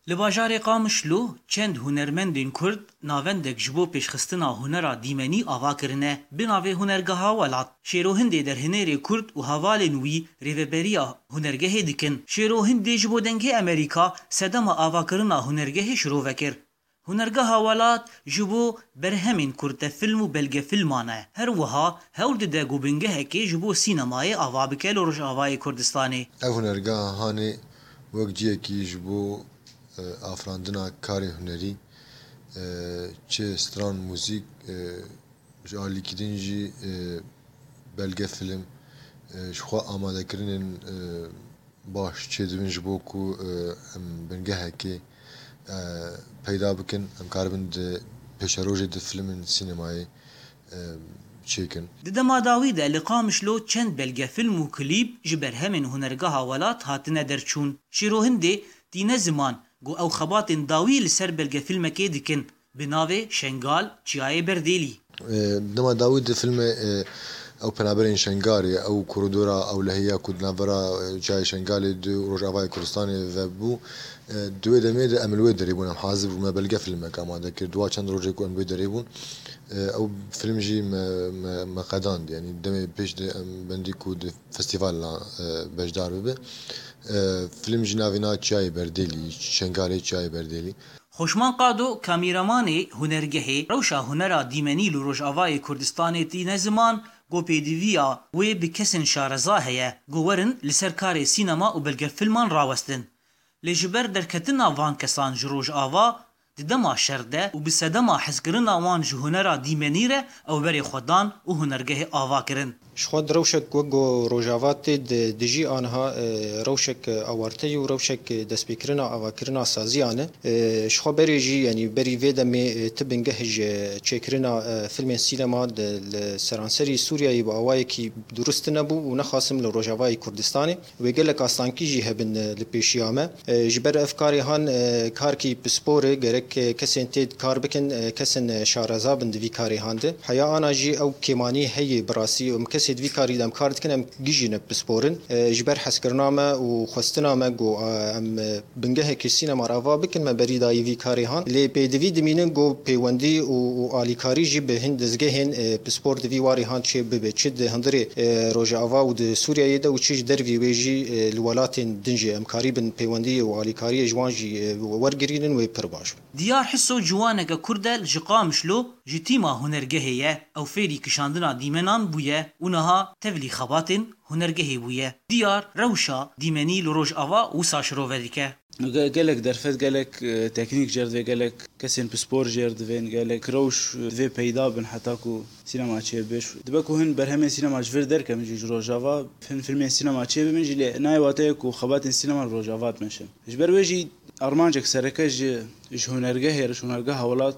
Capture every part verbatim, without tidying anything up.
Li bajarê Qamişlo çend hunermendên Kurd navendek ji bo pêşxistina hunera dîmenî ava kirine. Bi navê Hunergeha Welat, Şêro Hindê derhênerê Kurd û hevalên wî rêveberiya hunergehê dikin. Şêro Hindê ji bo Dengê Amerîka sedema avakirina hunergehê şirove kir. Hunergeha Welat ji bo berhemên kurtefilm û belgefilman e. Her wiha hewl dide ku bingehekê ji bo sînemayê ava bike li Rojavayê Kurdistanê. Ev hunergeha hanê wek cihekî ji bo, e, afirandina karê hunerî, e, çi stran muzîk, e, ji alîkî din jî, e, belgefilm, e, ji xwe amadekirinên, e, baş çêdibin ji bo ku, e, em bingehekê, e, peyda bikin, em karibin di pêşerojê di filmên sînemayê, e, çêkin. Di dema dawî de li Qamişlo çend belgefilm û klîp ji berhemên Hunergeha Welat hatine derçûn. Şêro Hindê Tîne Ziman, ku ew xebatên dawî li ser belgefilmekê dikin, bi navê Şengal, Çiyayê Berdêlî. E, dema dawî di filmê, e, ew penaberên Şengarê, ew koridora ewlehiya ku di navbera, e, Çiyayê Şengalê di Rojavayê Kurdistanê ve bû, e, di wê demê de em li wê derê bûn, em hazir bûn, me belgefilmek amade kir. Dua çend rojê ku em li wê derê bûn, e, ew film jî me, me, me qedand. Yanî demê pêş de em bendî ku di festîvala, e, beşdar bibe. E, film jî navê na Çiyayê Berdêlî, Şengalê Çiyayê Berdêlî. Xoşman Qado, kamîramanê hunergehê, rewşa hunera dîmenî li Rojavayê Kurdistanê tîne ziman, ku pêdiviya wê bi kesên şareza heye, ku werin li ser karê sînema û belgefilman rawestin. Lê ji ber derketina van kesan ji Rojava, di dema şer de û bi sedema hezkirina wan ji hunera dîmenî re, ew berê xwe dan û hunergehê ava kirin. Ji xwe di rewşek wek ku Rojava tê di dijî aniha, e, rewşek awarte yî û rewşek destpêkirina avakirina saziyan e. E, ji xwe berê jî, yanî berî vê demê, e, ti bingeh ji çêkirina, e, filmên sînema di, li seranserî Sûriyeyê bi awayekî durust nebû û nexasim li Rojavayê Kurdistanê. Wê gelek astankî jî hebin, e, li pêşiya me. E, ji ber ev karê han, e, karkî pispor e, gerek, e, kesên tê kar bikin, e, kesên, e, şareza bin di vî karê han de. Heya ana jî ew kêmanî heye bi rastî. Em kesê di vî karî de em kar dikin, em gijî ne pispor in. E, ji ber hezkirina me û xwestina me ku, e, em, e, bingehekî sînema re ava bikin, me berî dayî vî karê han. Lê pêdivî dimînin ku pêwendî û, û alîkarî jî bi hin dizgehên, e, pispor di vî warê han çê bibe. Çi di hundirê, e, Rojava û di Sûriyeyê de û çi ji dervî wê jî, e, li welatên din jî em karîbin pêwendiyê û alîkariyê ji wan jî, e, wergirînin wê pir baş be. Diyar Hiso ciwaneke Kurd e ji Qamişlo, ji tîma hunergehê ye. Ew fêrî kişandina dîmenan bûye û niha tevlî xebatên hunergehê bûye. Diyar rewşa dîmenî li Rojava wisa şirove dike. Ge-, gelek derfet, gelek, e, teknîk jê re divê, gelek kesên pispor jê re divên, gelek rewş, e, divê peyda bin heta ku sînema çêbibe. Dibe ku hin berhemên sînema ji vir derkevin jî ji Rojava, hin filmên sînema çêbibin jî, lê nayê wateyê ku xebatên sînema li Rojava dimeşin. Ji ber wê jî armancek sereke ji, ji hunergehê re, ji Hunergeha Welat,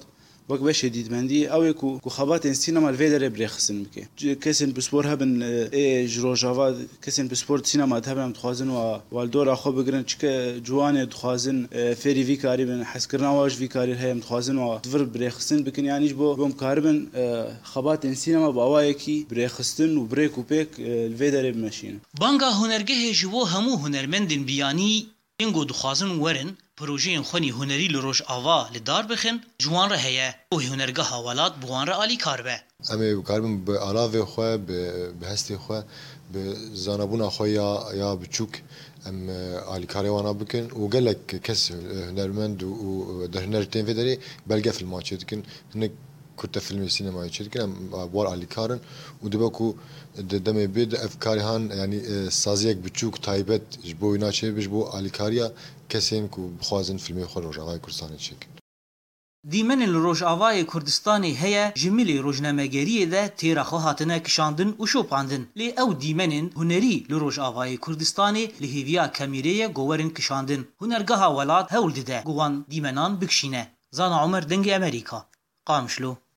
wek beşê dîtmendî, ew ê ku, ku xebatên sînema li vê derê bi rêxistin bike. Ci-, kesên pispor hebin, e, ê ji Rojava, kesên pispor di sînema de hebin, em dixwazin wa, wa li dora xwe bigirin, çike ciwanê dixwazin, e, fêrî vî karî bin, hezkirina wa ji vî karî heye, em dixwazin wa di vir bi rêxistin bikin, yanî ji bo, bo em karibin, e, xebatên sînema bi awayekî bi rêxistin û bi rêk û pêk, e, li vê derê bimeşînin. Banga hunergehê ji bo hemû hunermendên biyanî, yên ku dixwazin werin, projeyên xwe nî hunerî li Rojava li dar bixin, ji wan re heye û Hunergeha Welat bi wan re alîkar be. Em ê bikaribin bi alavê xwe, bi, bi hestê xwe, bi zanabûna xwe ya, ya biçûk em, e, alîkarê wana bikin û gelek kes, e, hunermend û, û derhuner tên vê derê belge filman çêdikin. Hinek kurte filmê sînemayê çêdikin, em, e, bi wan alîkar in û dibe ku di demê bê de ev karê han, yanî, e, saziyek biçûk taybet ji bo wîna çêbibe, ji bo alîkariya kesên ku bixwazin filmê xwe li Rojavayê Kurdistanê çêkin. Dîmenên li Rojavayê Kurdistanê heye, ji milê rojnamegeriyê de têra xwe hatine kişandin û şopandin. Lê ew dîmenên hunerî li Rojavayê Kurdistanê li hêviya kemîrê ye ku werin kişandin. Hunergeha Welat hewl dide ku wan dîmenan bikişîne. Zana Omer, Dengê Amerîka, Qamişlo.